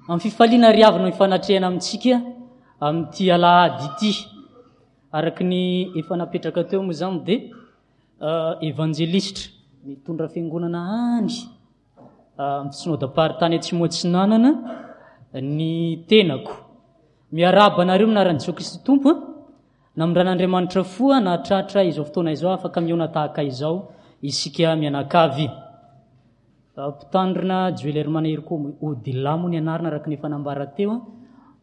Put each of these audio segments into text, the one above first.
Amin'ny fifaliana ry havana hifanatrehana amintsika amin'ity alahady ity. Araka ny efa napetraka teo moa izany dia eh, evanjelistra mitondra fiangonana any eh, amin'ny synodam-paritany Atsimo Atsinanana ny tenako. Miarahaba anareo amin'ny anaran'i Jesoa Kristy Tompo. Namindran'Andriamanitra fo nahatratra izao fotoana izao afaka mihaona tahaka izao isika mianakavy. Mpitandrina Joel Herman Herco Odila moa ny anarana araka ny efa nambara teo,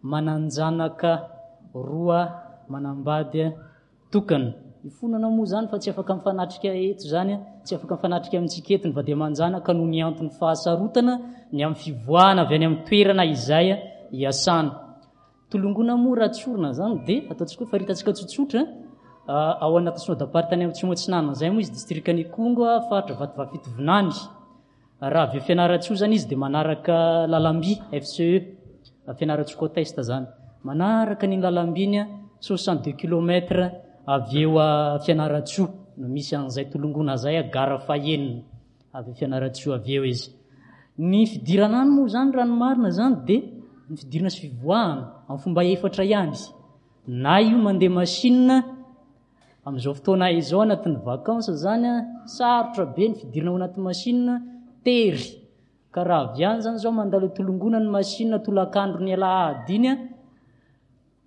manan-janaka roa manambady tokana. Ifonana moa izany fa tsy afaka mifanatrika eto izany, tsy afaka mifanatrika amintsika eto ny vady aman-janaka noho ny antony fahasarotana ny amin'ny fivoahana avy any amin'ny toerana izay iasana. Tolongoana moa raha tsorina izany dia ataontsika hoe faritantsika tsotsotra ao anatin'ny synodam-paritany Atsimo Atsinanana izay moa izy distrikan'Ikongo faritra Vatovavy Fitovinany. Raha avy eo Fianarantsoa izany izy dia manaraka lalamby FCE Fianarantsoa Côte Est izany. Manaraka an'iny lalamby iny 62 kilomètres avy eo Fianarantsoa no misy an'izay Tolongoana izay gara fahenina. Avy eo Fianarantsoa avy eo izy. Ny fidirana any moa izany raha ny marina izany dia ny fidirana sy fivoahana amin'ny fomba efatra ihany. Na io mandeha machine amin'izao fotoana izao anatin'ny vacances izany sarotra be ny fidirana ao anaty machine tery. Ka raha avy any izany izao mandalo tolongoana ny machine tolakandro ny alahady iny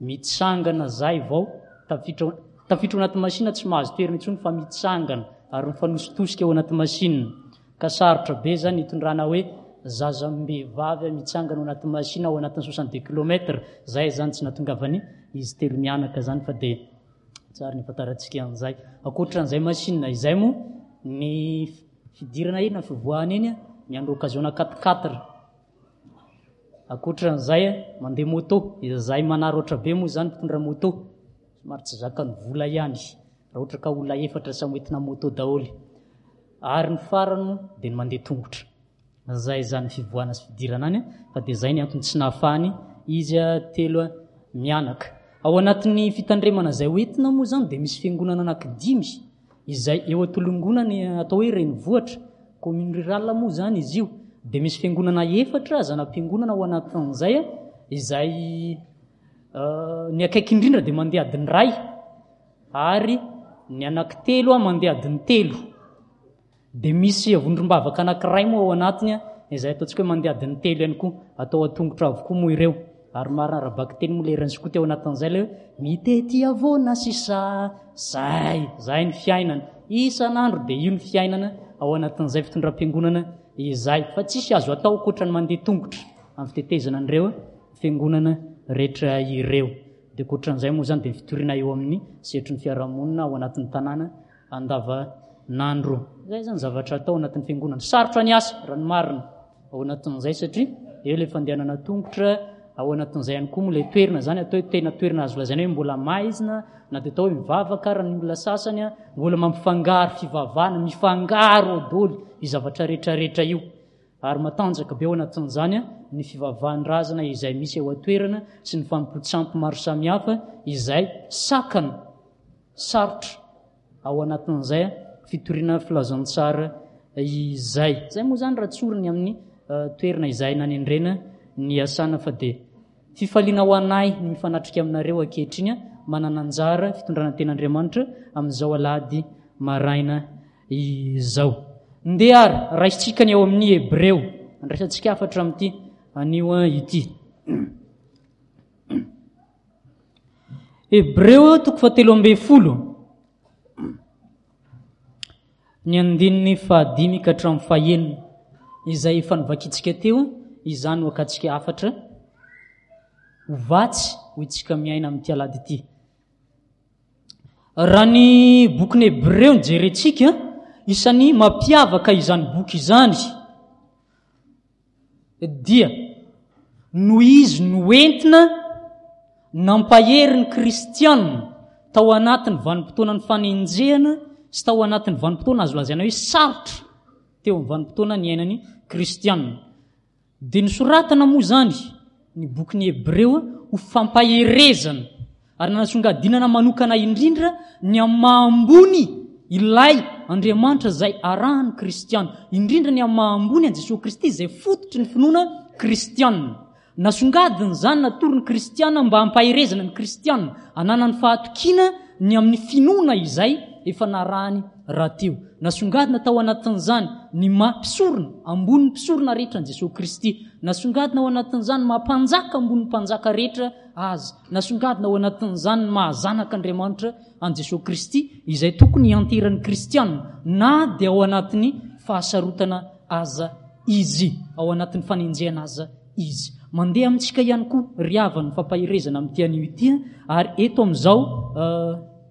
Mitsangana zay vao tafiditra tafiditra ao anaty machine tsy mahazo toerana intsony fa mitsangana ary mifanositosika ao anaty machine ka sarotra be zany hitondrana hoe zazam-behivavy mitsangana ao anaty machine ao anatin'ny 62 kilomètre zay zany tsy natongavany izy telo mianaka zany fa dia tsara ny afantarantsika an'izay ankoatran'izay machine izay moa ny fidirana eny na fivoahana eny miandry occasion 4 4 Ankoatran'izay, mandeha moto, izay manaraotra be moa izany mpitondra moto, somary tsy zakan'ny vola ihany, raha ohatra ka olona efatra samy hoentina moto daholo. Ary ny farany moa dia ny mandeha tongotra. Izay izany fivoahana sy fidirana any, fa dia izay ny antony tsy nahafahany izy telo mianaka. Ao anatin'ny fitandremana izay hoentina moa izany dia misy fiangonana anankidimy izay eo Antolongoana ny atao hoe renivohitra, commune rurale moa izany izy io, dia misy fiangonana efatra zana-piangonana ao anatin'izay, izay ny akaiky indrindra dia mandeha adiny iray ary ny anankitelo mandeha adiny telo. Dia misy vondrom-bavaka anankiray moa ao anatiny izay ataontsika hoe mandeha adiny telo ihany koa, atao an-tongotra avokoa moa ireo. Ary marina ara-bakiteny moa ilay hiran'i Skoto ao anatin'izay ilay hoe mitety havoana sisa, zay, zay ny fiainana. Isan'andro dia io ny fiainana ao anatin'izay fitondram-piangonana izay. Fa tsisy azo atao ankoatra ny mandeha tongotra amin'ny fitetezana an'ireo fiangonana rehetra ireo. Dia ankoatran'izay moa izany dia ny fitoriana eo amin'ny sehatry ny fiarahamonina ao anatin'ny tanàna andavanandro. Izay izany zavatra atao anatin'ny fiangonana. Sarotra ny asa, raha ny marina, ao anatin'izay satria eo ilay fandehanana tongotra, ao anatin'izay ihany koa moa ilay toerana izany atao hoe tena toerana azo lazaina hoe mbola maizina, na dia atao hoe mivavaka ara ny olona sasany, mbola mampifangaro fivavahana, mifangaro ao daholo io zavatra rehetrarehetra io. Ary matanjaka be ao anatin'izany ny fivavahan-drazana izay misy eo an-toerana sy ny fanompoan-tsampy maro samihafa izay sakana Sarotra ao anatin'izay fitoriana filazantsara izay. Izay moa izany raha tsoriny amin'ny toerana izay nanendrena ny asana fa dia fifaliana ho anay ny mifanatrika aminareo ankehitriny manana anjara fitondrana ten'Andriamanitra amin'izao alahady maraina izao. Ndeha ary raisintsika ny ao amin'ny Hebreo. Andraisantsika hafatra amin'ity anio ity. Hebreo toko fahatelo ambin'ny folo, ny andininy fahadimy ka hatramin'ny fahenina, izay efa novakintsika teo, izany no akantsika hafatra ho vatsy ho itsika miaina amin'ity alahady ity. Raha ny bokin'ny Hebreo no jerentsika, isan'ny mampiavaka izany boky izany dia noho izy noentina nampahery ny kristiana tao anatin'ny vanim-potoanan'ny fanenjehana sy tao anatin'ny vanim-potoana azo lazaina hoe sarotra teo amin'ny vanim-potoana niainan'ny kristiana. Dia nosoratana moa izany ny bokin'ny Hebreo ho fampaherezana ary nanasongadinana manokana indrindra ny amin'ny maha ambony ilay Andriamanitra izay arahan'ny kristiana, indrindra ny amin'ny maha ambony an'i Jesoa Kristy izay fototry ny finoana kristiana. Nasongadiny izany natoro ny kristiana mba hampaherezana ny kristiana hananany fahatokiana ny amin'ny finoana izay efa narahany rahateo. Nasongadina tao anatin'izany ny maha mpisorona ambonin'ny mpisorona rehetra an'i Jesoa Kristy. Nasongadina ao anatin'izany ny maha mpanjaka ambonin'ny mpanjaka rehetra Azy. Nasongadina ao anatin'izany ny maha zanak'Andriamanitra an'i Jesoa Kristy izay tokony hianteran'ny kristiana na dia ao anatin'ny fahasarotana aza izy, ao anatin'ny fanenjehana aza izy. Mandeha amintsika ihany koa ry havana ny fampaherezana amin'ity anio ity ary eto amin'izao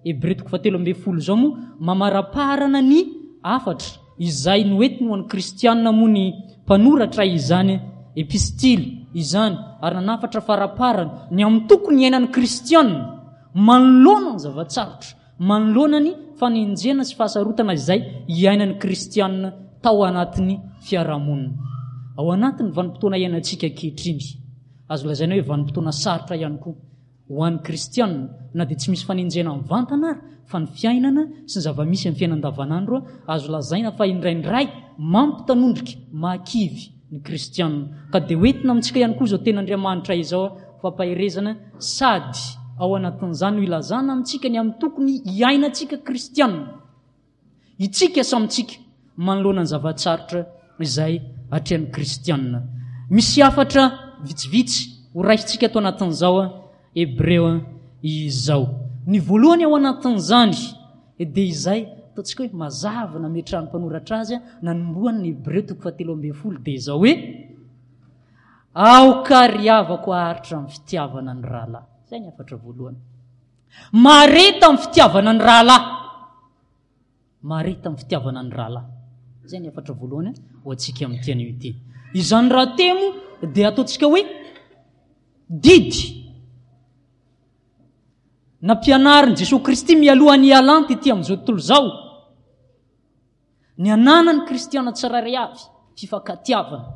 Hebreo toko fahatelo ambin'ny folo izao moa mamaraparana ny hafatra izay noentiny ho an'ny kristiana moa ny mpanoratra izany epistily izany ary nanafatra faraparany ny amin'ny tokony hiainan'ny kristiana manoloana ny zava-tsarotra, manoloana ny fanenjehana sy fahasarotana izay iainan'ny kristiana tao anatin'ny fiarahamonina. Ao anatin'ny vanim-potoana iainantsika ankehitriny, azo lazaina hoe vanim-potoana sarotra ihany koa ho an'ny kristiana, na dia tsy misy fanenjehana mivantana ary fa ny fiainana sy ny zava-misy amin'ny fiainana andavanandro, azo lazaina fa indraindray mampitanondrika, mahakivy ny kristiana. Ka dia hoentina amintsika ihany koa izao tenin'Andriamanitra izao ho fampaherezana sady ao anatin'izany no ilazana amintsika ny amin'ny tokony hiainantsika kristiana, itsika samy tsika, manoloana ny zava-tsarotra izay atrehan'ny kristiana. Misy hafatra vitsivitsy ho raisintsika ato anatin'izao Hebreo izao. Ny voalohany ao anatin'izany dia izay ataontsika hoe mazava nametrahan'ny mpanoratra azy nanombohany ny Hebreo toko fahatelo ambin'ny folo dia izao hoe Aoka ry havako haharitra amin'ny fitiavana ny rahalahy. Izay ny hafatra voalohany. Mahareta amin'ny fitiavana ny rahalahy. Mahareta amin'ny fitiavana ny rahalahy. Izay ny hafatra voalohany ho antsika amin'ity anio ity. Izany rahateo moa dia ataontsika hoe didy nampianarin'i Jesoa Kristy mialohan'ny hialany tety amin'izao tontolo izao. Ny ananan'ny kristiana tsirairay avy, fifankatiavana.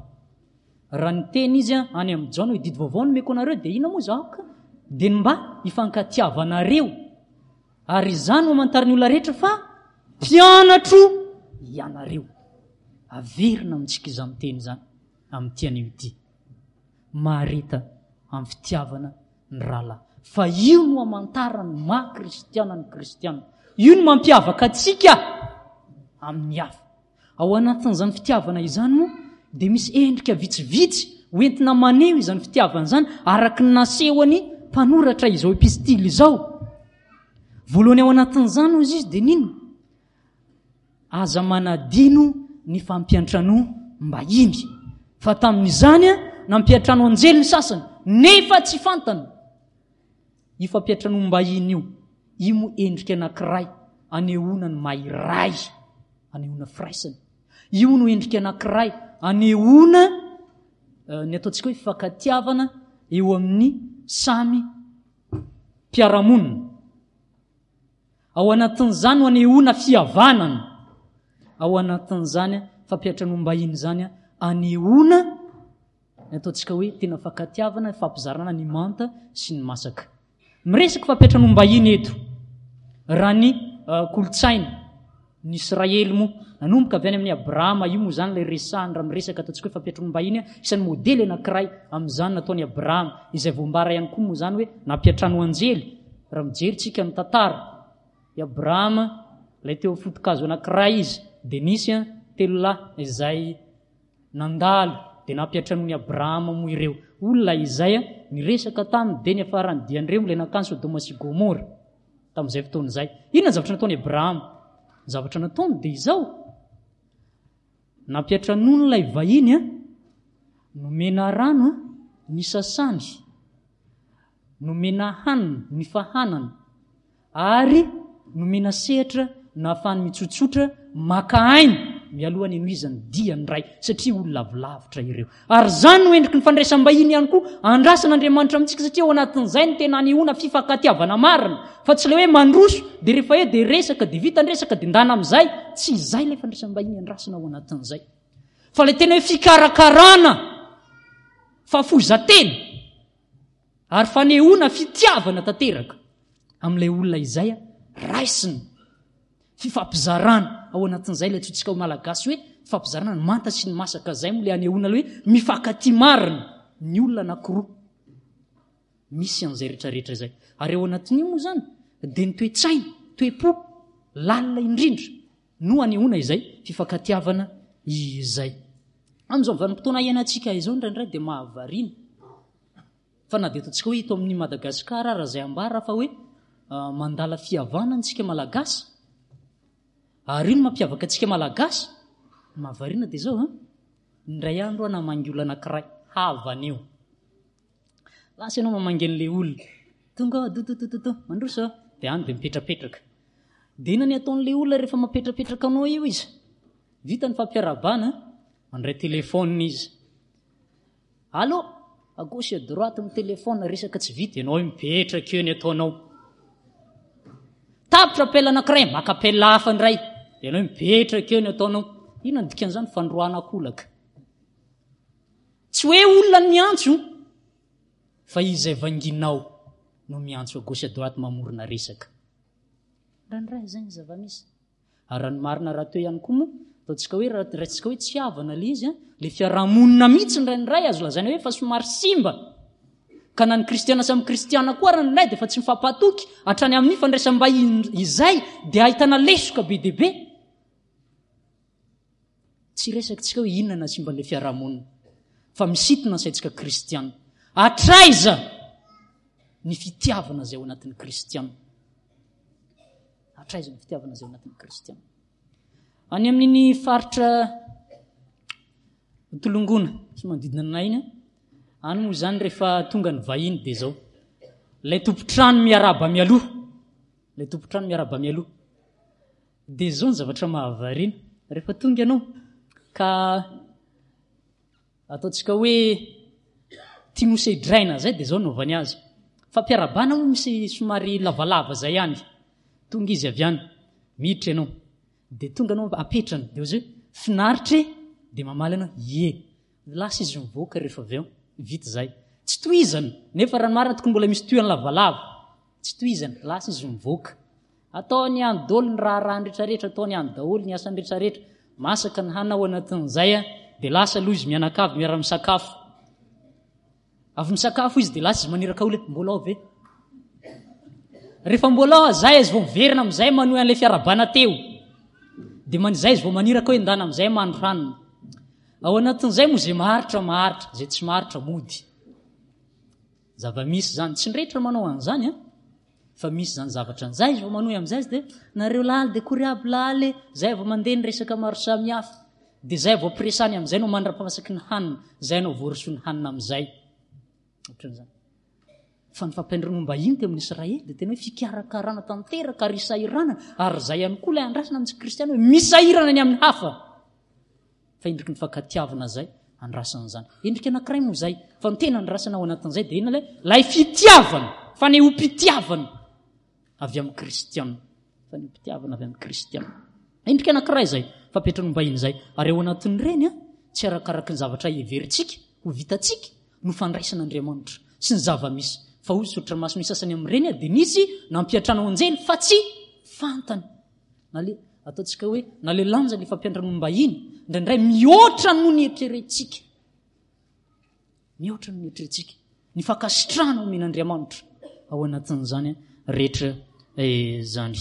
Raha niteny izy any amin'i Jaona hoe didy vaovao no omeko anareo dia inona moa izaho ka? Dia ny mba hifankatiavanareo. Ary izany no hamantarin'ny olona rehetra fa mpianatro ianareo. Averina amintsika izany teny izany amin'ity anio ity. Mahareta amin'ny fitiavana ny rahalahy. Fa io no hamantarana ny maha kristiana ny kristiana. Io no mampiavaka antsika amin'ny hafa. Ao anatin'izany fitiavana izany moa dia misy endrika vitsivitsy hoentina maneho izany fitiavana izany araka ny nasehon'ny mpanoratra izao epistily izao. Voalohany ao anatin'izany hozy izy dia n'inona? Aza manadino ny fampiantranoam-bahiny, fa tamin'izany nampiantrano anjely ny sasany, nefa tsy fantany. Io fampiantranoam-bahiny io, io moa endrika anankiray anehoana ny maha iray, anehoana firaisana. Io no endrika anankiray anehoana eh, ny ataontsika hoe fifankatiavana eo amin'ny samy mpiara-monina. Ao anatin'izany no anehoana fihavanana. Ao anatin'izany fampiantranoam-bahiny izany anehoana ny ataontsika hoe tena fankatiavana, fampizarana ny manta sy ny masaka. Miresaka fampiantranoam-bahiny eto. Raha ny eh, kolontsaina ny Israely moa nanomboka avy any amin'i Abrahama, io moa izany ilay resahany raha miresaka ataontsika hoe fampiantranoam-bahiny, isan'ny modely anankiray amin'izany nataon'i Abrahama, izay voambara ihany koa moa izany hoe nampiantrano anjely Raha mijery tsika ny tantara, i Abrahama, ilay teo amin'ny foto-kazo anankiray izy, dia nisy telo lahy izay nandalo, dia nampiantranoin'i Abrahama moa ireo olona izay niresaka taminy, dia niafarany dian'ireo ilay nankany Sodoma sy Gomora tamin'izay fotoana izay. Inona ny zavatra nataon'i Abrahama? Ny zavatra nataony dia izao, nampiantranoiny ilay vahiny, nomena rano, nisasany, Nomena hanina ny fahanana ary nomena sehatra nahafahany mitsotsotra maka aina mialoha ny hanohizany dia ny Ray satria olona avy lavitra ireo. Ary izany no endriky ny fandraisam-bahiny ihany koa andrasan'Andriamanitra amintsika satria ao anatin'izay no tena anehoana fifankatiavana marina fa tsy ilay hoe mandroso dia rehefa eo dia resaka dia vita ny resaka dia ndana amin'izay. Tsy izay ilay fandraisam-bahiny andrasana ao anatin'izay fa ilay tena hoe fikarakarana fahafoizan-tena Ary fanehoana fitiavana tanteraka amin'ilay olona izay raisina. Fifampizarana ao anatin'izay ilay antsointsika ho Malagasy hoe fifampizarana ny manta sy ny masaka izay moa ilay anehoana ilay hoe mifankatia marina. ny olona anankiroa. Misy an'izay rehetrarehetra izay. Ary ao anatin'io moa izany dia ny toe-tsaina, toe-po lalina indrindra no anehoana izay fifankatiavana izay. Amin'izao vanim-potoana iainantsika izao indraindray dia mahavariana fa na dia ataontsika hoe eto amin'ny Madagasikara ara izay ambara fa hoe mandala fihavanana isika Malagasy ary io no mampiavaka antsika Malagasy, ny mahavariana dia izao an, indray andro aho namangy olona anankiray, havana io. Lasa ianao mamangy an'ilay olona. Tonga ao, dododododo, mandroso aho. Dia any dia mipetrapetraka. Dia inona ny ataon'ilay olona rehefa mapetrapetraka anao io izy? Vita ny fampiarahabana, mandray téléphone izy. Allô? À gauche et à droite ny téléphone, resaka tsy vita, ianao io mipetraka eo ny ataonao. Tapitra appel anankiray, maka appel hafa indray. Ianao io mipetraka eo ny ataonao. Inona ny dikan'izany? Fandroahana kolaka. Tsy hoe olona no miantso fa izay vanginao no miantso à gauche à droite mamorona resaka. Indraindray izay ny zava-misy. Ary raha ny marina rahateo ihany koa moa, ataontsika hoe raha raisitsika hoe tsy havana ilay izy, ilay fiarahamonina mihitsy indraindray azo lazaina hoe efa somary simba. Ka na ny kristiana samy kristiana koa ary indraindray dia efa tsy mifampatoky hatrany amin'ny fandraisam-bahiny izay dia ahitana lesoka be dia be. Tsy resaka tsika hoe inona nahasimba an'ilay fiarahamonina, fa misintona ny saintsika kristiana. Hatraiza ny fitiavana izay ao anatin'ny kristiana? Hatraiza ny fitiavana izay ao anatin'ny kristiana? Any amin'iny faritra Tolongona sy manodidina anay iny, any moa izany rehefa tonga ny vahiny dia izao. Ilay tompon-trano miarahaba mialoha, ilay tompon-trano miarahaba mialoha. Dia izao ny zavatra mahavariana, rehefa tonga ianao ka ataontsika hoe tiany hosedraina izay dia izao no anaovany azy. Fampiarahabana moa misy somary lavalava izay ihany. Tonga izy avy any, miditra ianao. Dia tonga ianao apetrany, dia hoy izy hoe finaritra e! Dia mamaly ianao, ie. Lasa izy mivoaka rehefa avy eo, vita izay. Tsy tohizana, nefa raha ny marina tokony mbola misy tohiny lavalava. Tsy tohizana, lasa izy mivoaka. Ataony any daholo ny raharahany rehetrarehetra, ataony any daholo ny asany rehetrarehetra. Masaka ny hanina ao anatin'izay dia lasa aloha izy mianakavy miara-misakafo. Avy misakafo izy dia lasa izy maniraka olona, mbola ao ve? Rehefa mbola ao zay izy vao miverina amin'izay manohy an'ilay fiarabana teo. Dia man izay izy vao maniraka hoe ndana amin'izay mandro hanina. Ao anatin'izay moa izay maharitra maharitra, izay tsy maharitra mody. Zava-misy izany, tsy ny rehetra manao an'izany an. Fa misy izany zavatra an'izay izy vao manohy amin'izay izy dia nareo laly dia kory aby laly, zay vao mandeha ny resaka maro samihafa. Dia zay vao presany amin'izay no mandra-pamasaky ny hanina, zay no voarosoa ny hanina amin'izay. Ohatran'izany. Fa ny fampiandranoam-bahiny teo amin'ny Israely dia tena hoe fikarakarana tanteraka ary isahiranana, ary izay ihany koa ilay andrasana amintsika kristiana hoe misahirana ny amin'ny hafa. Fa endriky ny fankatiavana izay andrasana izany. Endrika anankiray moa izay, fa ny tena andrasana ao anatin'izay dia inona ilay ilay fitiavana, fanehoam-pitiavana avy amin'ny kristiana. Fanehoam-pitiavana avy amin'ny kristiana. Endrika anankiray izay, fampiantranoam-bahiny izay. Ary ao anatin'ireny, tsy arakaraky ny zavatra heverintsika ho vitantsika no fandraisan'Andriamanitra sy ny zava-misy. Fa hoy soratra masina ny sasany amin'ireny dia nisy nampiantrano anjely fa tsy fantany. Na le ataontsika hoe na le lanja le fampiantranoam-bahiny indraindray mihoatra noho ny eritreretintsika. Mihoatra noho ny eritreretintsika. Ny fankasitrahana omen'Andriamanitra ao anatin'izany rehetra izany.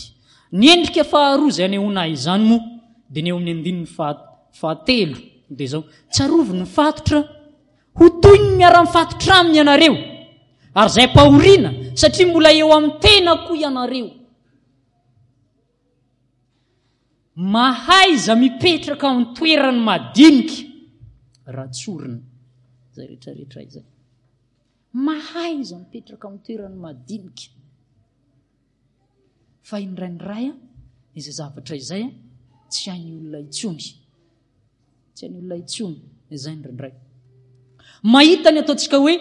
Ny endrika faharoa izay anehoana izany moa dia ny eo amin'ny andininy fahatelo dia izao, tsarovy ny fatotra ho toy ny miara-mifatotra aminy ianareo ary izay ampahoriana satria mbola eo amin'ny tena koa ianareo. Mahaiza mipetraka ao an-toeran'ny madinika raha tsorina izay rehetrarehetra izay. Mahaiza mipetraka ao an-toeran'ny madinika. Fa indraindray izay zavatra izay tsy hain'ny olona intsony. Tsy hain'ny olona intsony izay indraindray. Mahita ny ataontsika hoe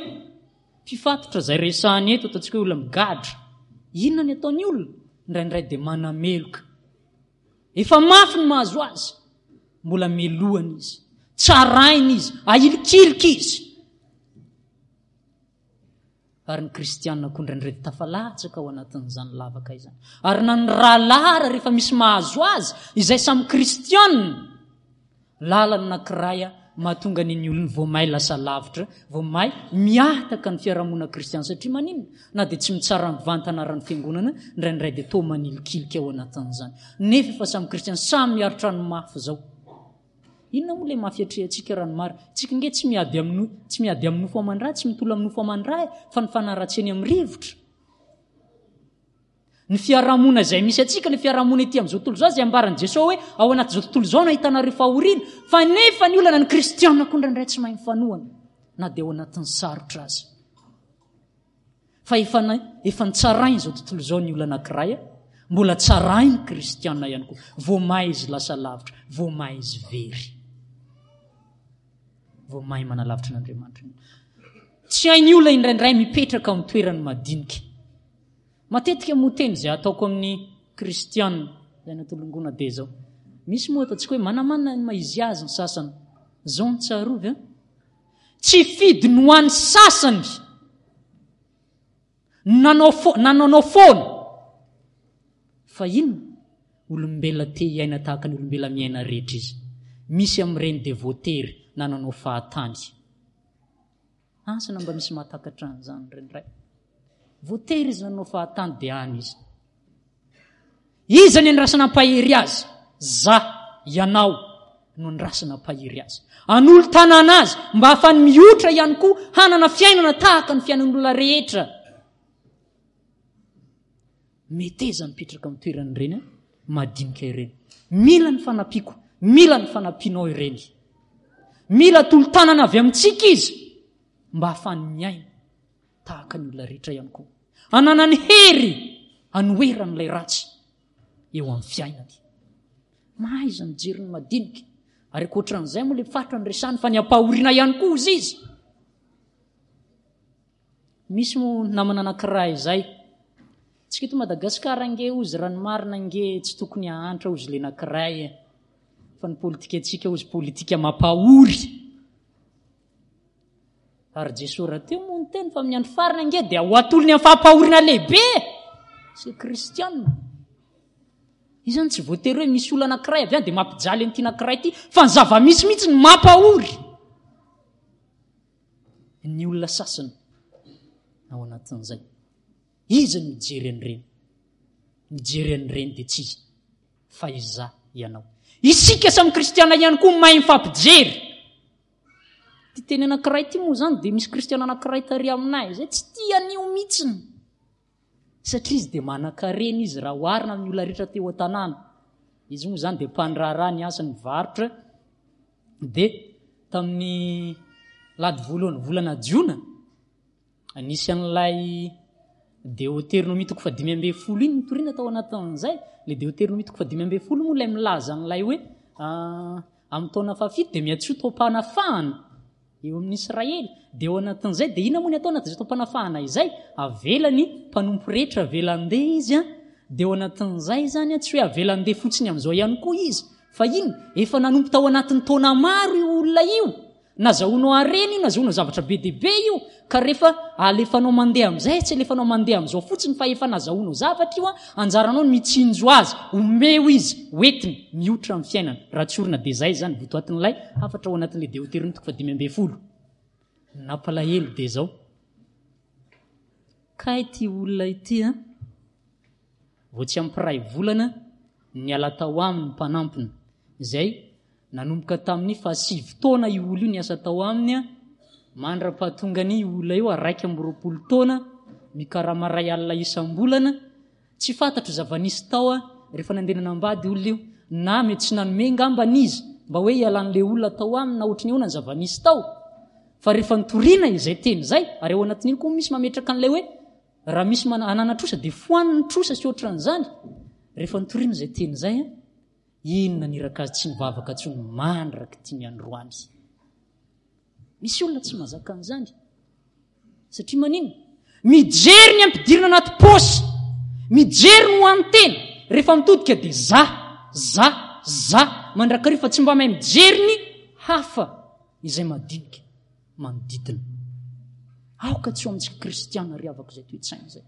Mpifatotra izay resahana eto, ataontsika hoe olona migadra. Inona ny ataon'ny olona? Indraindray dia manameloka. Efa mafy ny mahazo azy, mbola melohana izy, tsaraina izy, ahilikilika izy. Ary ny kristianina koa indraindray dia tafalatsaka ao anatin'izany lavaka izany. Ary na ny rahalahy ara rehefa misy mahazo azy, izay samy kristianina, lalana anankiray. Mahatonga ny ny olona vao may lasa lavitra, vao may mihataka ny fiarahamonina kristiana satria maninona? Na dia tsy mitsara mivantana ara ny fiangonana, indraindray dia toa manilikilika ao anatin'izany. Nefa efa samy kristiana, samy miaritra ny mafy izao. Inona moa ilay mafy atrehantsika raha ny marina? Tsika nge tsy miady amin'ny tsy miady amin'ny nofo aman-dra, tsy mitolona amin'ny nofo aman-dra e, fa ny fanaratsiany amin'ny rivotra. Ny fiarahamonina izay misy antsika, ny fiarahamonina ety amin'izao tontolo izao izay ambaran'i Jesoa hoe ao anatin'izao tontolo izao no ahitanareo fahoriana, fa nefa ny olana ny kristiana koa indraindray tsy mahay mifanohana na dia ao anatin'ny sarotra aza. Fa efa efa nitsarainy izao tontolo izao ny olona anankiray, mbola tsarainy kristiana ihany koa. Vao may izy lasa lavitra, vao may izy very. Vao may manalavitra an'Andriamanitra. Tsy hain'ny olona indraindray mipetraka amin'ny toerany madinika. Matetika moa teny izay ataoko amin'ny kristiana izay natolongoana dia izao. Misy moa ataontsika hoe manamanana ny maha izy azy ny sasany. Izao no tsarovy an. Tsy fidiny ho an'ny sasany nanao fo nanaonao foana. Fa inona? Olombelona te hiaina tahaka ny olombelona miaina rehetra izy. Misy amin'ireny dia voatery nananao fahatany. Asa na mba misy mahatakatra an'izany indraindray. Voatery izy nanao fahatany dia any izy. Iza ny andrasana hampahery azy? Za, ianao no andrasana hampahery azy. Anolo-tanana azy mba hahafany mihotra ihany koa hanana fiainana tahaka ny fiainan'olona rehetra. Meteza mipetraka amin'ny toeran'ireny madinika ireny. Mila ny fanampiako, mila ny fanampianao ireny. Mila tolo-tanana avy amintsika izy mba hahafany miaina tahaka ny olona rehetra ihany koa. Ananany hery anoheran'ilay ratsy eo amin'ny fiainany. Mahaiza mijery ny madinika. Ary ankoatran'izay moa ilay faritra noresahany fa ny ampahoriana ihany koa hozy izy. Misy moa namana anankiray izay. Tsika eto Madagasikara ange hozy raha ny marina ange tsy tokony hahantra hozy le anankiray e. Fa ny politikantsika hozy politika mampahory. Ary Jesoa rahateo moa niteny fa amin'ny andro farany ange dia ho atolony amin'ny fampahoriana lehibe sy kristianina. Izany tsy voatery hoe misy olona anankiray avy any dia mampijaly an'ity anankiray ity fa ny zava-misy mihitsy no mampahory. Ny olona sasany ao anatin'izay. Iza no mijery an'ireny? Mijery an'ireny dia tsy iza fa izaho ianao. Isika samy kristiana ihany koa mahay mifampijery. Ity teny anankiray ity moa izany dia misy kristiana anankiray tary aminay izay tsy tia an'io mihitsiny. Satria izy dia manan-karena izy raha oharina amin'ny olona rehetra teo an-tanàna. Izy moa izany dia mpandraharaha ny asany varotra. Dia tamin'ny lady voalohany volana jona, nisy an'ilay Deoteronomia toko faha 15 iny nitoriana tao anatin'izay. Ilay Deoteronomia toko faha 15 moa ilay milaza an'ilay hoe ah, amin'ny taona fahafito dia miantsoa taom-panafahana. Eo amin'ny Israely. Dia ao anatin'izay, dia inona moa ny atao anatin'izay taom-panafahana izay? Avela ny mpanompo rehetra, avela handeha izy an. Dia ao anatin'izay izany an, tsy hoe avela handeha fotsiny amin'izao ihany koa izy. Fa inona? Efa nanompo tao anatin'ny taona maro io olona io. Nazahoanao harena io, nazahoanao zavatra be dia be io. Ka rehefa alefanao mandeha amin'izay, tsy alefanao mandeha amin'izao fotsiny fa efa nazahoanao zavatra io an, anjaranao ny mitsinjo azy, omeo izy, hoentiny mihotra amin'ny fiainana. Raha tsorina dia izay izany votoatin'ilay hafatra ao anatin'ilay Deoteronomia toko faha-15. Ny nampalahelo dia izao, kay ity olona ity an, vao tsy ampy iray volana niala tao aminy ny mpanampiny, izay Nanomboka tamin'ny fahasivy taona io olona io niasa tao aminy mandra-pahatongany io olona io 21 taona, mikarama iray alina isam-bolana. Tsy fantatro zava-nisy tao rehefa nandeha nanambady olona io, na mety tsy nanome ngambany izy mba hoe hialan'ilay olona tao aminy na ohatry ny ahoana ny zava-nisy tao. Fa rehefa nitoriana izay teny izay, ary ao anatin'iny koa misy mametraka an'ilay hoe raha misy manana trosa dia foano ny trosa sy ohatran'izany. Rehefa nitoriana izay teny izay, Inona niraka azy tsy nivavaka intsony mandrak'ity ny androany. Misy olona tsy mahazaka an'izany. Satria maninona? Mijery ny ampidirina anaty paosy. Mijery ny ho an'ny tena. Rehefa mitodika dia za, za, za mandrakariva fa tsy mba mahay mijery ny hafa izay madinika manodidina. Aoka tsy ho amintsika kristiana ry havako izay toe-tsaina izay.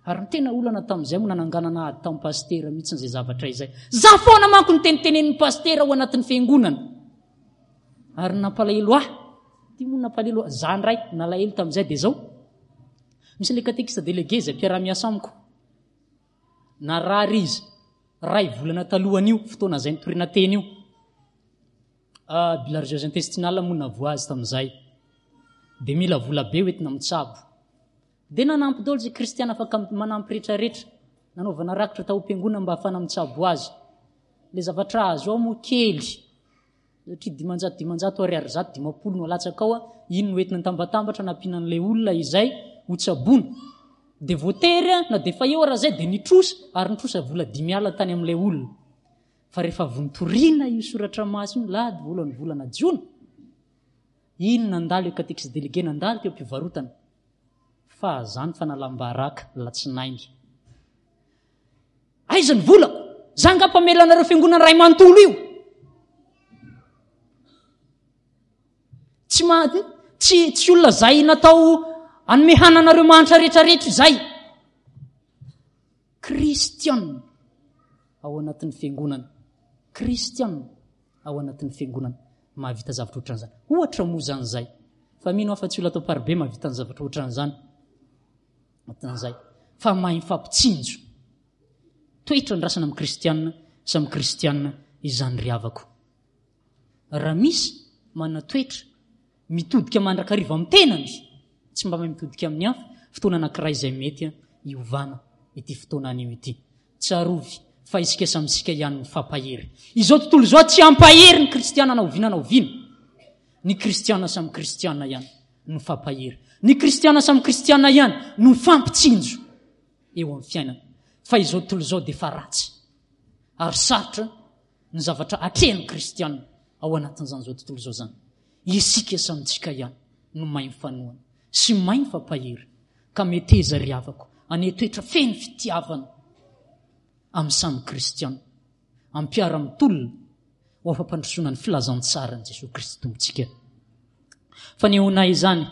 Ary ny tena olana tamin'izay moa nananganana ady tamin'ny pasitera mihitsy izay zavatra izay. Za foana manko ny tenitenenin'ny pasitera ao anatin'ny fiangonana. Ary ny nampalahelo ahy, ity moa nampalahelo ahy, za ndray nalahelo tamin'izay dia zao, misy ilay katekista délégué izay mpiara-miasa amiko, narary izy ray volana talohan'io fotoana izay nitoriana teny io. Ah, bilharziose intestinale moa navoa azy tamin'izay. Dia mila vola be hoentina mitsabo. Dia nanampy daholo izay kristiana afaka manampy rehetrarehetra. Nanaovana rakitra tao am-piangonana mba hahafahana mitsabo azy. Ilay zavatra azo ao moa kely. Satria 500 500 ariary 150 no alatsaka ao, iny no entina nitambatambatra nampiana an'ilay olona izay hotsaboina. Dia voatery na dia efa eo ara izay dia nitrosa ary nitrosa vola 50 tany amin'ilay olona. Fa rehefa avy nitoriana io soratra masina io lahady voalohany volana jona, iny nandalo io catéchiste délégué nandalo teo am-pivarotana fa zany fanalam-baraka latsinainy. Aiza ny volako? Za nga mpamela anareo fiangonana ray manontolo io. Tsy ma tsy tsy olona zay natao anome hananareo mahantra rehetrarehetra izay. Kristiana ao anatin'ny fiangonana. Kristiana ao anatin'ny fiangonana mahavita zavatra ohatran'izany. Ohatra moa izany izay. Fa mino aho fa tsy olona atao paribe mahavita ny zavatra ohatran'izany. Ohatran'izay. Fa mahay mifampitsinjo. Toetra andrasana amin'ny kristiana samy kristiana izany ry havako. Raha misy manana toetra mitodika mandrakariva amin'ny tenany, tsy mba mahay mitodika amin'ny hafa, fotoana anankiray izay mety hiovana ity fotoana anio ity. Tsarovy fa isika samy isika ihany mifampahery. Izao tontolo izao tsy hampahery ny kristiana na oviana na oviana. Ny kristiana samy kristiana ihany no mifampahery. Ny kristiana samy kristiana ihany no mifampitsinjo eo amin'ny fiainana. Fa izao tontolo izao dia efa ratsy ary sarotra ny zavatra atrehin'ny kristiana ao anatin'izany izao tontolo izao izany. Isika samy tsika ihany no mahay mifanohana sy mahay mifampahery ka meteza ry havako anie toetra feno fitiavana amin'ny samy kristiana, amin'ny mpiara-mitolona ho afa-pandrosoana ny filazantsaran'i Jesoa Kristy Tompontsika. Fanehoana izany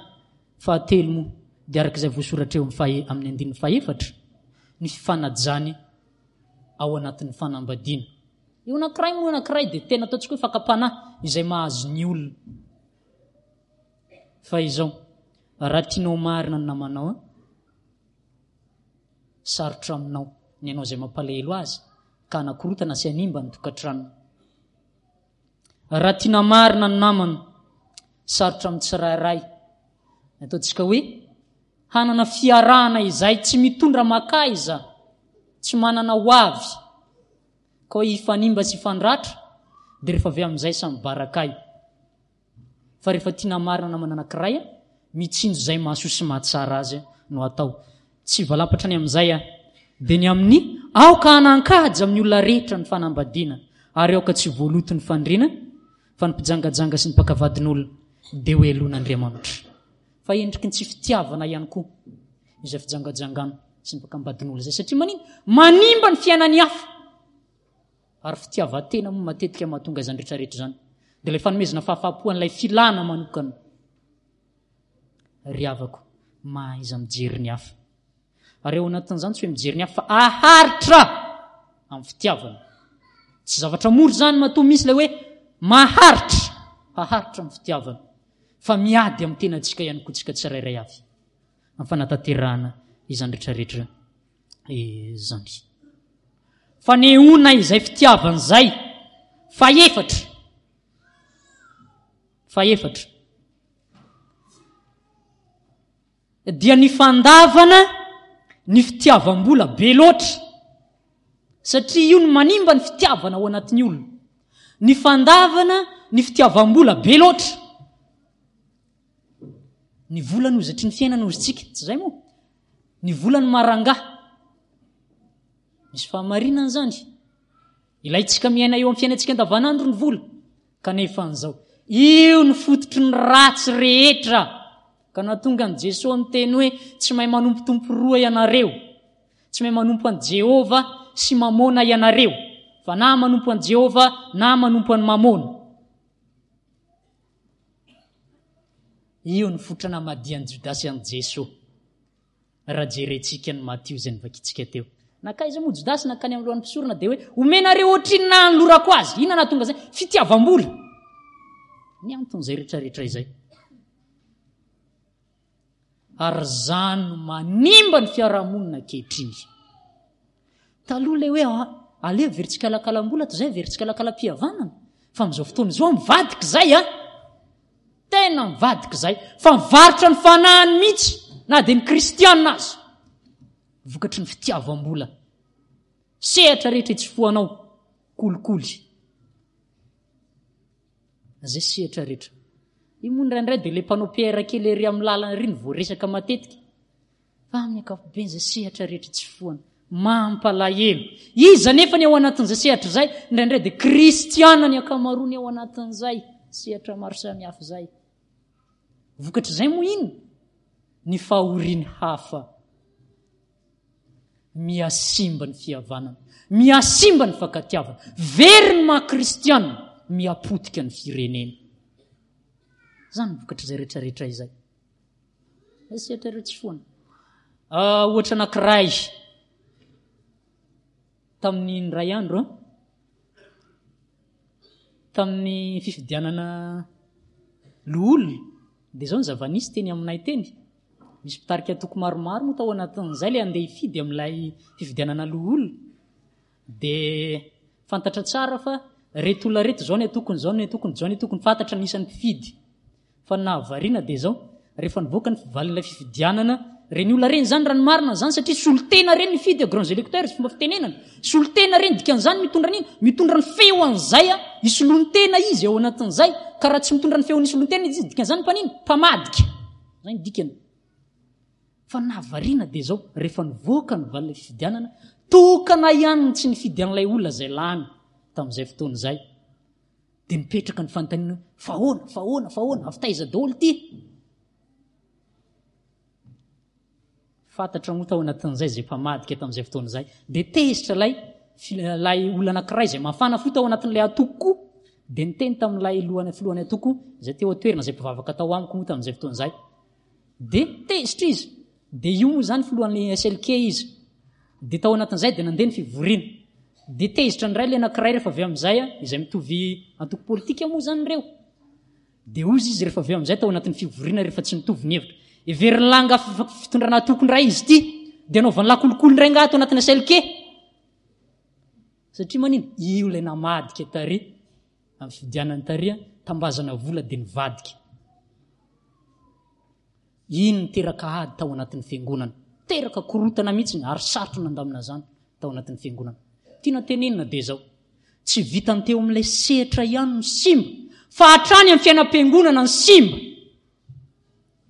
fahatelo moa dia araka izay voasoratra eo amin'ny fahe amin'ny andininy fahefatra ny fifanajany ao anatin'ny fanambadiana. Io anankiray moa anankiray dia tena ataontsika hoe fakam-panahy izay mahazo ny olona. Fa izao, raha tianao marina ny namanao, sarotra aminao ny hanao izay mampalahelo azy ka hanakorotana sy hanimba ny tokantranony. Raha tiana marina ny namana, sarotra amin'ny tsirairay. Ny ataontsika hoe hanana fiarahana izay tsy mitondra makaiza, tsy manana ho avy, ka hoe hifanimba sy hifandratra, dia rehefa avy amin'izay samy barakay. Fa rehefa tiana marina namana anankiray, mitsinjo izay mahasoa sy mahatsara azy no atao. Tsy valampatra ny amin'izay aho. Dia ny amin'ny aoka hanan-kaja amin'ny olona rehetra ny fanambadiana, ary aoka tsy voaloto ny fandriana, fa ny mpijangajanga sy ny mpaka vadin'olona dia ho heloin'Andriamanitra. Fa endriky ny tsy fitiavana ihany koa izay fijangajangana sy ny mpakam-badin'olona izay, satria manina? Manimba ny fiainan'ny hafa. Ary fitiavan-tena moa matetika mahatonga izany rehetrarehetra izany. Dia ilay fanomezana fahafahampo an'ilay filana manokana. Ry havako, mahaiza mijery ny hafa. Ary ao anatin'izany tsy hoe mijery ny hafa fa aharitra amin'ny fitiavana. Tsy zavatra mora izany matoa misy ilay hoe maharitra, haharitra amin'ny fitiavana. Fa miady amin'ny tenantsika ihany koa tsika tsirairay avy amin'ny fanatanterahana izany rehetrarehetra izany. Fanehoana izay fitiavana izay. Fahefatra. Fahefatra. Dia ny fandavana ny fitiavam-bola be loatra. Satria io no manimba ny fitiavana ao anatin'ny olona. Ny fandavana ny fitiavam-bola be loatra. Ny vola no hozatry ny fiainana hozintsika, tsy izay moa? Ny vola no marangahy. Misy fahamarinana izany. Ilaintsika miaina eo amin'ny fiainantsika andavanandro ny vola. Kanefa an'izao, io no fototry ny ratsy rehetra. Ka nahatonga an'i Jesoa niteny hoe, tsy mahay manompo tompo roa ianareo. Tsy mahay manompo an'i Jehovah sy Mamôna ianareo. Fa na manompo an'i Jehovah na manompo an'i Mamôna. Io no fototra namadihan'i Jodasy an'i Jesoa. Raha jerentsika ny Matio izay novakintsika teo. Nankaiza moa Jodasy? Nankany amin'ny lohan'ny mpisorona dia hoe, omenareo ohatrinona hanolorako azy? Inona nahatonga izay? Fitiavam-bola. Ny anton'izay rehetrarehetra izay. Ary izany no manimba ny fiarahamonina ankehitriny. Taloha ilay hoe ah, aleo very tsikalakalam-bola toy izay very tsikalakalam-pihavanana. Fa amin'izao fotoana izao mivadika izay a. Ah. Tena mivadika izay. Fa mivarotra ny fanahiny mihitsy na dia ny kristianina aza. Vokatry ny fitiavam-bola. Sehatra rehetra itsofohanao, kolikoly. Izay sehatra rehetra. Io moa indraindray dia ilay mpanao PR kely ery amin'ny lalana ery no voaresaka matetika. Fa amin'ny ankapobeny izay sehatra rehetra itsofohana. Mampalahelo. Iza nefa ny ao anatin'izay sehatra izay? Indraindray dia kristiana ny ankamaroany ao anatin'izay sehatra maro samihafa izay. Vokatr'izay moa inona? Ny fahorian'ny hafa. Mihasimba ny fihavanana, mihasimba ny fankatiavana, very ny maha kristiana, mihapotika ny firenena. Izany ny vokatr'izay rehetrarehetra izay. Sehatra ireo tsy foana. Ah, ohatra anankiray tamin'ny indray andro tamin'ny fifidianana loholona dia izao ny zava-nisy teny aminay teny. Misy mpitarika antoko maromaro moa tao anatin'izay ilay handeha hifidy amin'ilay fifidianana loholona. Dia fantatra tsara fa reto olona reto izao ny antokony, izao ny antokony, izao ny antokony, fantatra ny isan'ny mpifidy. Fa ny nahavariana dia izao, rehefa nivoaka ny valin'ilay fifidianana, ireny olona ireny izany raha ny marina izany satria solontena ireny nifidy, grands électeurs fomba fitenenana, solontena ireny dikan'izany mitondra an'iny, mitondra ny feo an'izay isolontena izy ao anatin'izay, ka raha tsy mitondra ny feon'ny solontena izy dikan'izany mpanino? Mpamadika. Zay ny dikany. Fa nahavariana dia izao, rehefa nivoaka ny valin'ilay fifidianana, tokana ihany ny tsy nifidy an'ilay olona izay lany tamin'izay fotoana izay. Dia nipetraka ny fanontaniana hoe, fa ahoana, fa ahoana, fa ahoana, avy taiza daholo ity? Fantatra moa tao anatin'izay izay mpamadika tamin'izay fotoana izay. Dia tezitra ilay ilay olona anankiray izay mafana fo tao anatin'ilay antoko koa. Dia niteny tamin'ilay lohany filohan'ny antoko izay teo an-toerana izay mpivavaka tao amiko moa tamin'izay fotoana izay. Dia tezitra izy. Dia io moa izany filohan'ny SLK izy. Dia tao anatin'izay dia nandeha ny fivoriana. Dia tezitra indray ilay anankiray rehefa avy amin'izay, izay mitovy antoko politika moa izany ireo. Dia hozy izy rehefa avy eo amin'izay tao anatin'ny fivoriana rehefa tsy nitovy ny hevitra. Heverin'ny lahy angaha fitondrana atoko indray izy ity, dia anaovan'ny lahy kolikoly indray angaha ato anatin'ny SLK. Satria manino? Io ilay namadika tary amin'ny fifidianana tary, tambazana vola dia nivadika. Iny niteraka ady tao anatin'ny fiangonana. Teraka korotana mihitsy ary sarotra nandamina izany tao anatin'ny fiangonana. Tiana tenenina dia izao. Tsy vitan'ny teo amin'ilay sehatra ihany no simba, fa hatrany amin'ny fiainam-piangonana ny simba.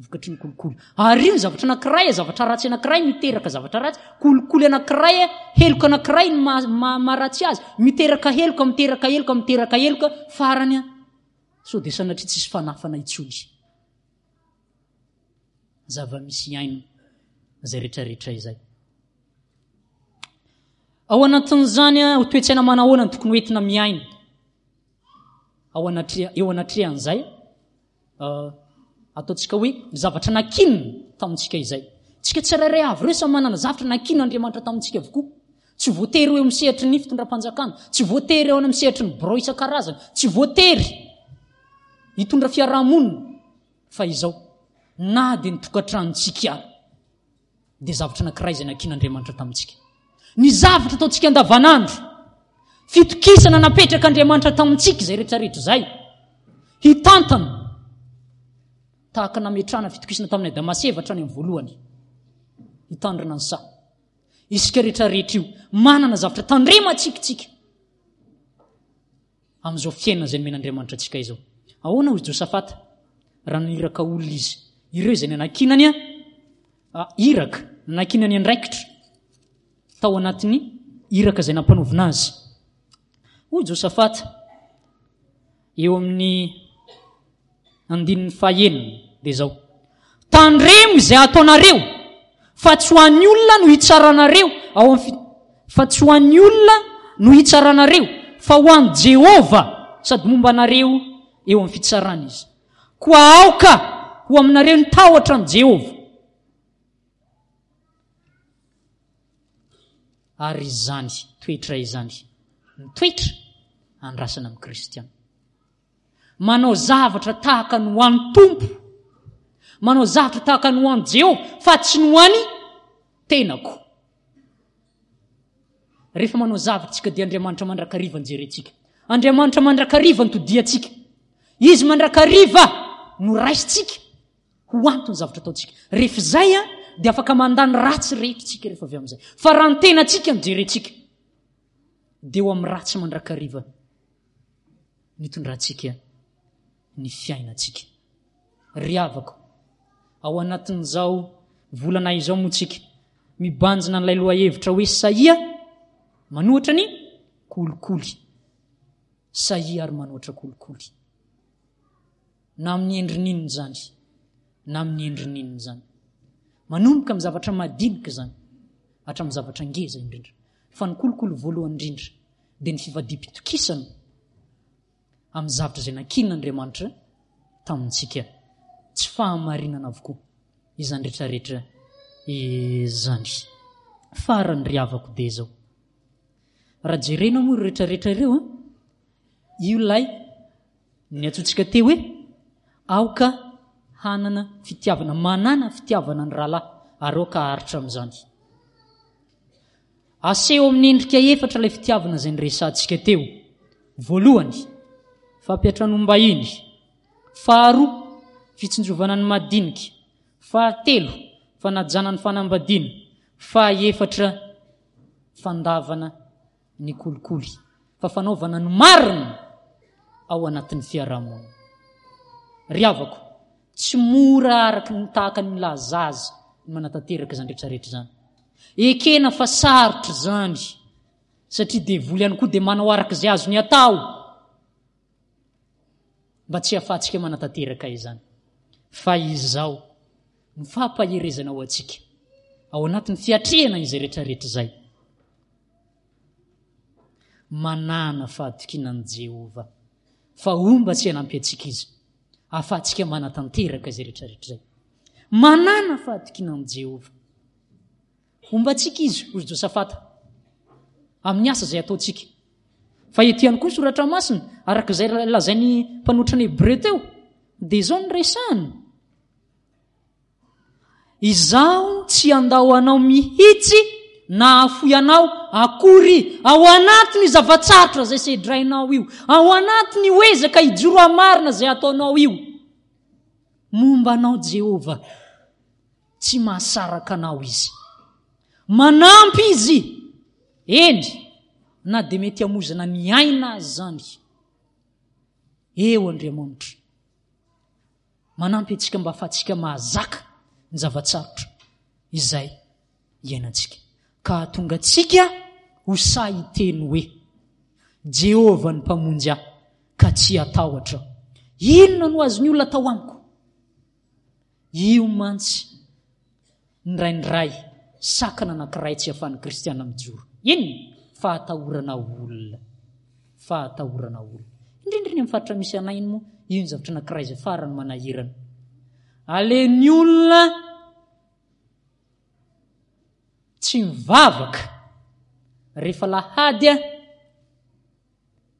Vokatry ny kolikoly. Ary io ny zavatra anankiray, zavatra ratsy anankiray miteraka zavatra ratsy, kolikoly anankiray, heloka anankiray ny maharatsy azy, miteraka heloka, miteraka heloka, miteraka heloka, farany sao dia sanatria tsisy fanafana intsony. Zava-misy iainana izay rehetrarehetra izay. Ao anatin'izany ho toe-tsaina manahoana no tokony hoentina miaina ao anatreha eo anatrehan'izay uh, ataontsika hoe ny zavatra nakinina tamintsika izay. Tsika tsirairay avy ireo samy manana zavatra nakin'Andriamanitra tamintsika avokoa. Tsy voatery ho eo amin'ny sehatry ny fitondram-panjakana, tsy voatery eo amin'ny sehatry ny birao isan-karazany, tsy voatery hitondra fiarahamonina fa izao na dia ny tokantranontsika ary dia zavatra anankiray izay nankin'Andriamanitra tamintsika. Ny zavatra ataontsika andavanandro, fitokisana napetrak'Andriamanitra tamintsika izay rehetrarehetra izay, hitantana tahaka nametrahana fitokisana tamin'i Adama sy Eva hatrany amin'ny voalohany, hitandrina ny saha. Isika rehetrarehetra io manana zavatra tandremantsika tsika. amin'izao fiainana izay nomen'Andriamanitra antsika izao. Ahoana hoy Josafata raha naniraka olona izy? Ireo izay nanankinany ah, iraka, nanankinany andraikitra tao anatin'ny iraka izay nampanaovina azy. Hoy Josafata eo amin'ny Andininy fahenina dia izao, Tandremo izay ataonareo, fa tsy ho an'ny olona no hitsaranareo ao amin'ny fi, fa tsy ho an'ny olona no hitsaranareo, fa ho an'i Jehovah, sady momba anareo eo amin'ny fitsarana Izy. Koa aoka ho aminareo ny tahotra an'i Jehovah. Ary izany toetra izany, ny toetra andrasana amin'ny kristiana. Manao zavatra tahaka ny ho an'ny Tompo. Manao zavatra tahaka ny ho an'i Jehovah fa tsy ny ho an'ny tenako. Rehefa manao zavatra tsika dia Andriamanitra mandrakariva no jerentsika. Andriamanitra mandrakariva no todiantsika. Izy mandrakariva no raisintsika ho antony zavatra ataontsika. Rehefa izay dia afaka mandany ratsy rehetra tsika rehefa avy amin'izay. Fa raha ny tenantsika no jerentsika dia eo amin'ny ratsy mandrakariva nitondrantsika ny fiainantsika. Ry havako, ao anatin'izao volana izao moa tsika mibanjina an'ilay lohahevitra hoe sahia manohatra ny kolikoly. Sahia ary manohatra kolikoly. Na amin'ny endriny inona izany, na amin'ny endriny inona izany. Manomboka amin'ny zavatra madinika izany, hatramin'ny zavatra ngeza indrindra. Fa ny kolikoly voalohany indrindra dia ny fivadiam-pitokisana amin'ny zavatra izay nankinin'Andriamanitra tamintsika. Tsy fahamarinana avokoa izany rehetrarehetra izany. Farany ry havako dia izao. Raha jerena moa ireo rehetrarehetra ireo, io ilay ny antsointsika teo hoe aoka hanana fitiavana, manana fitiavana ny rahalahy ary aoka haharitra amin'izany. Aseho amin'ny endrika efatra ilay fitiavana izay niresahantsika teo. Voalohany, fampiantranoam-bahiny. Faharoa, fitsinjovana ny madinika. Fahatelo, fanajana ny fanambadiana. Fahaefatra, fandavana ny kolikoly, fa fanaovana ny marina ao anatin'ny fiarahamonina. Ry havako, tsy mora araka ny tahaka ny milaza azy ny manatanteraka izany rehetrarehetra izany. Ekena fa sarotra izany, satria devoly ihany koa dia manao araka izay azony atao mba tsy hahafahantsika manatanteraka izany. Fa izao ny fampaherezana ho antsika ao anatin'ny fiatrehana izay rehetrarehetra izay. Manàna fahatokiana an'i Jehovah, fa homba tsy hanampy antsika izy, ahafahantsika manatanteraka izay rehetrarehetra izay. Manàna fahatokiana an'i Jehovah. Homba antsika izy, hoy Josafata, amin'ny asa izay ataontsika. Fa ety ihany koa ny soratra masina, araka izay lazain'ny mpanotrana Hebreo teo, dia izao no resahany. Izaho tsy handao anao mihitsy na hahafoy anao akory ao anatin'io zava-tsarotra izay sedrainao io, ao anatin'io ezaka hijoro hamarina izay ataonao io. Momba anao Jehovah, tsy mahasaraka anao Izy. Manampy Izy, eny, na dia mety hamozana ny aina aza izany. Eo Andriamanitra. Manampy antsika mba ahafahantsika mahazaka ny zava-tsarotra izay iainantsika, ka hahatonga antsika ho sahy hiteny hoe, Jehovah no Mpamonjy ahy, ka tsy hatahotra aho. Inona no azon'ny olona atao amiko? Io mantsy indraindray sakana anankiray tsy ahafahan'ny kristiana mijoro. Inona? Fahatahorana olona. Fahatahorana olona. Indrindra eny amin'ny faritra misy anay iny moa, io ny zavatra anankiray izay farany manahirana. Alehan'ny olona tsy mivavaka rehefa lahady a,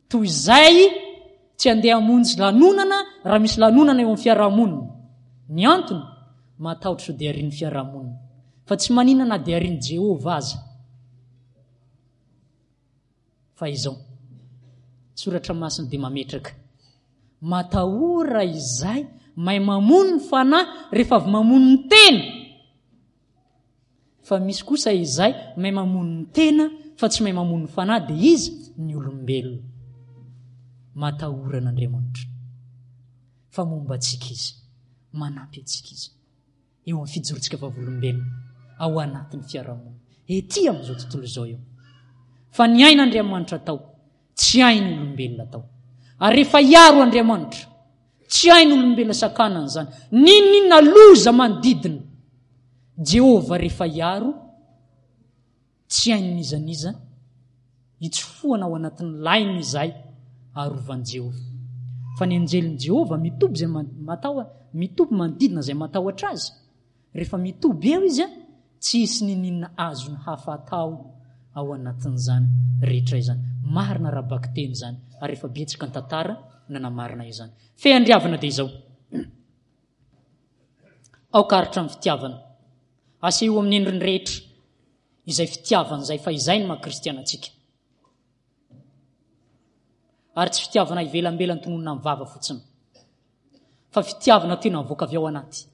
Toy izay tsy handeha hamonjy lanonana raha misy lanonana eo amin'ny fiarahamonina. Ny antony, matahotra sao dia arian'ny fiarahamonina. Fa tsy maninona na dia arian'i Jehovah aza. Fa izao, Soratra Masina dia mametraka, matahora izay mahay mamono ny fanahy rehefa avy mamono ny tena. Fa misy kosa izay mahay mamono ny tena fa tsy mahay mamono ny fanahy dia iza? Ny olombelona. Matahora an'Andriamanitra. Fa momba antsika Izy. Manampy antsika Izy. Eo amin'ny fijorontsika vavolombelona ao anatin'ny fiarahamonina. Ety amin'izao tontolo izao eo. Fa ny ain'Andriamanitra atao Tsy hain'ny olombelona atao. Ary rehefa hiaro Andriamanitra, tsy hain'ny olombelona sakanana izany. N'inon'inona loza manodidina, Jehovah rehefa hiaro, tsy hain'iza n'iza hitsofohana ao anatin'ny lainy izay arovan'i Jehovah. Fa ny anjelin'i Jehovah mitoby izay matahotra, mitoby manodidina izay matahotra azy. Rehefa mitoby eo izy, tsy hisy niniana azony hafa atao ao anatin'izany rehetra izany. Marina ara-bakiteny izany ary efa betsaka ny tantara nanamarina izany. Feandriavana dia izao. Aoka haharitra ny fitiavana. Aseho amin'ny endriny rehetra izay fitiavana izay fa izay no maha kristiana antsika. Ary tsy fitiavana ivelambelany tononina amin'ny vava fotsiny. Fa fitiavana tena mivoaka avy ao anaty.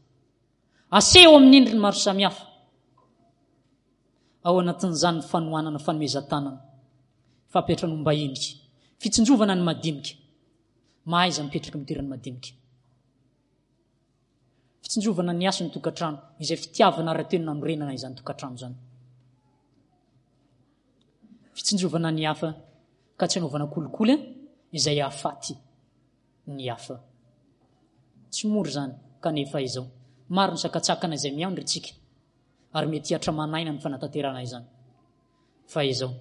Aseho amin'ny endriny maro samihafa. Ao anatin'izany ny fanohanana fanomezan-tanana, fampiantranoam-bahiny, fitsinjovana ny madinika. Mahaiza mipetraka amin'ny toeran'ny madinika. Fitsinjovana ny hasin'ny tokantrano, izay fitiavana ara-teny nanorenana izany tokantrano izany. Fitsinjovana ny hafa ka tsy anaovana kolikoly izay hahafaty ny hafa. Tsy mora izany kanefa izao. Maro ny sakantsakana izay miandry antsika ary mety hihatra aman'aina ny fanatanterahana izany. Fa izao,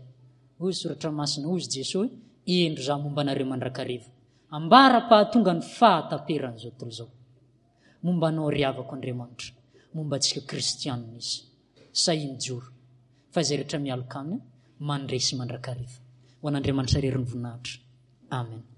hoy Soratra Masina, hoy Jesoa hoe, Indro Izaho momba anareo mandrakariva, ambara-pahatonga ny fahataperan'izao tontolo izao. Momba anao ry havako Andriamanitra, momba antsika kristianina Izy. Sahia mijoro, fa izay rehetra mialoka Aminy, mandresy mandrakariva. Ho an'Andriamanitra irery ny voninahitra. Amen.